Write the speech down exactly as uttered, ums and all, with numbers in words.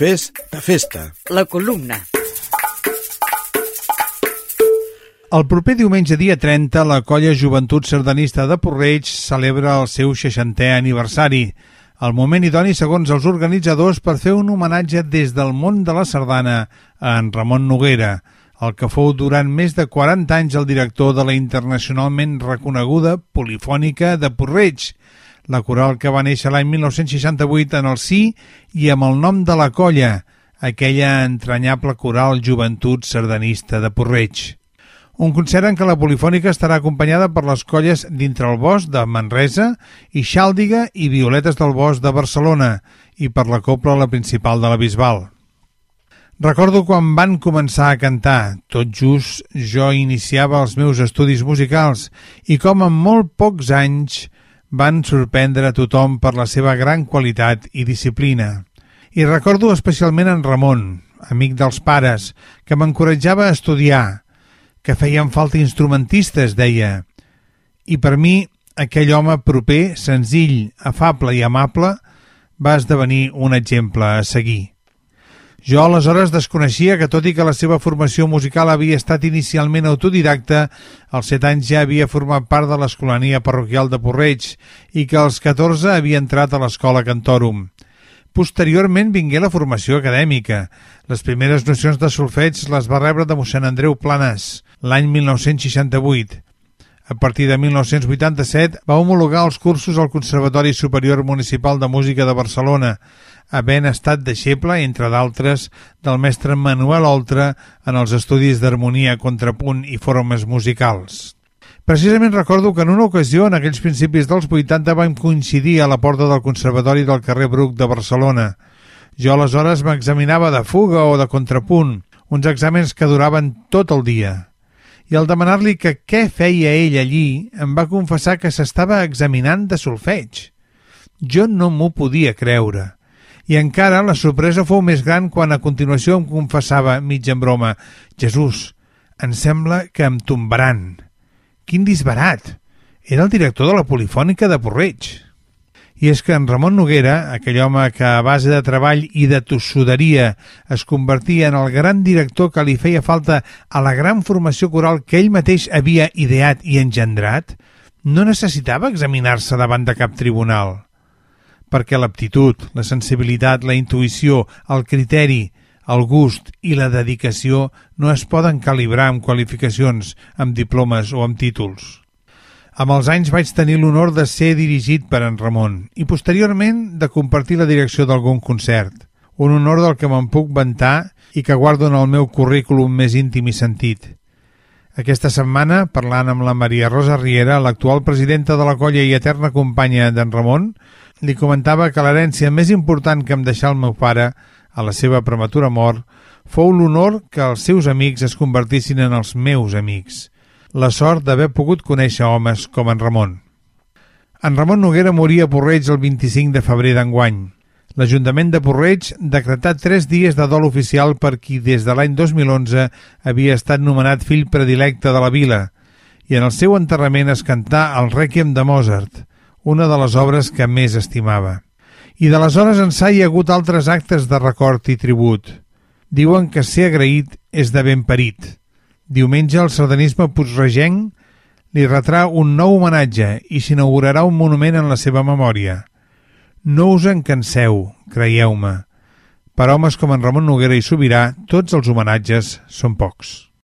Fes de festa. La columna. El proper diumenge dia trenta, la colla Joventut Sardanista de Puig-reig celebra el seu seixantè aniversari. El moment idoni, segons els organitzadors, per fer un homenatge des del món de la sardana a en Ramon Noguera, el que fou durant més de quaranta anys el director de la internacionalment reconeguda Polifònica de Puig-reig, la coral que va néixer l'any mil nou-cents seixanta-vuit en el si i amb el nom de la colla, aquella entranyable coral Joventut Sardanista de Puig-reig. Un concert en què la Polifònica estarà acompanyada per les colles Dintre el Bosc de Manresa i Xàldiga i Violetes del Bosc de Barcelona i per la cobla la principal de la Bisbal. Recordo quan van començar a cantar, tot just jo iniciava els meus estudis musicals i com en molt pocs anys van sorprendre a tothom per la seva gran qualitat i disciplina. I recordo especialment en Ramon, amic dels pares, que m'encoratjava a estudiar, que feien falta instrumentistes, deia. I per mi, aquell home proper, senzill, afable i amable, va esdevenir un exemple a seguir. Jo aleshores desconeixia que, tot i que la seva formació musical havia estat inicialment autodidacta, als set anys ja havia format part de l'escolania parroquial de Puig-reig i que als catorze havia entrat a l'escola Cantòrum. Posteriorment vingué la formació acadèmica. Les primeres nocions de solfeig les va rebre de mossèn Andreu Planas, l'any mil nou-cents seixanta-vuit. A partir de mil nou-cents vuitanta-set va homologar els cursos al Conservatori Superior Municipal de Música de Barcelona, havent estat deixeble, entre d'altres, del mestre Manuel Oltra en els estudis d'harmonia, contrapunt i formes musicals. Precisament recordo que en una ocasió, en aquells principis dels vuitanta, vam coincidir a la porta del Conservatori del carrer Bruc de Barcelona. Jo aleshores m'examinava de fuga o de contrapunt, uns exàmens que duraven tot el dia. I al demanar-li que què feia ell allí, em va confessar que s'estava examinant de solfeig. Jo no m'ho podia creure. I encara la sorpresa fou més gran quan a continuació em confessava, mig en broma, «Jesús, em sembla que em tombaran». Quin disbarat! Era el director de la Polifònica de Puig-reig. I és que en Ramon Noguera, aquell home que a base de treball i de tossuderia es convertia en el gran director que li feia falta a la gran formació coral que ell mateix havia ideat i engendrat, no necessitava examinar-se davant de cap tribunal. Perquè l'aptitud, la sensibilitat, la intuïció, el criteri, el gust i la dedicació no es poden calibrar amb qualificacions, amb diplomes o amb títols. Amb els anys vaig tenir l'honor de ser dirigit per en Ramon i posteriorment de compartir la direcció d'algun concert, un honor del que me'n puc vantar i que guardo en el meu currículum més íntim i sentit. Aquesta setmana, parlant amb la Maria Rosa Riera, l'actual presidenta de la colla i eterna companya d'en Ramon, li comentava que l'herència més important que em deixà el meu pare, a la seva prematura mort, fou l'honor que els seus amics es convertissin en els meus amics. La sort d'haver pogut conèixer homes com en Ramon. En Ramon Noguera moria a Puig-reig el vint-i-cinc de febrer d'enguany. L'Ajuntament de Puig-reig decretà tres dies de dol oficial per qui des de l'any dos mil onze havia estat nomenat fill predilecte de la vila i en el seu enterrament es cantà el Rèquiem de Mozart, una de les obres que més estimava. I d'aleshores ençà hi ha hagut altres actes de record i tribut. Diuen que ser agraït és de ben parit. Diumenge el sardanisme puigregenc li retrà un nou homenatge i s'inaugurarà un monument en la seva memòria. No us en canseu, creieu-me. Per homes com en Ramon Noguera i Sobirà, tots els homenatges són pocs.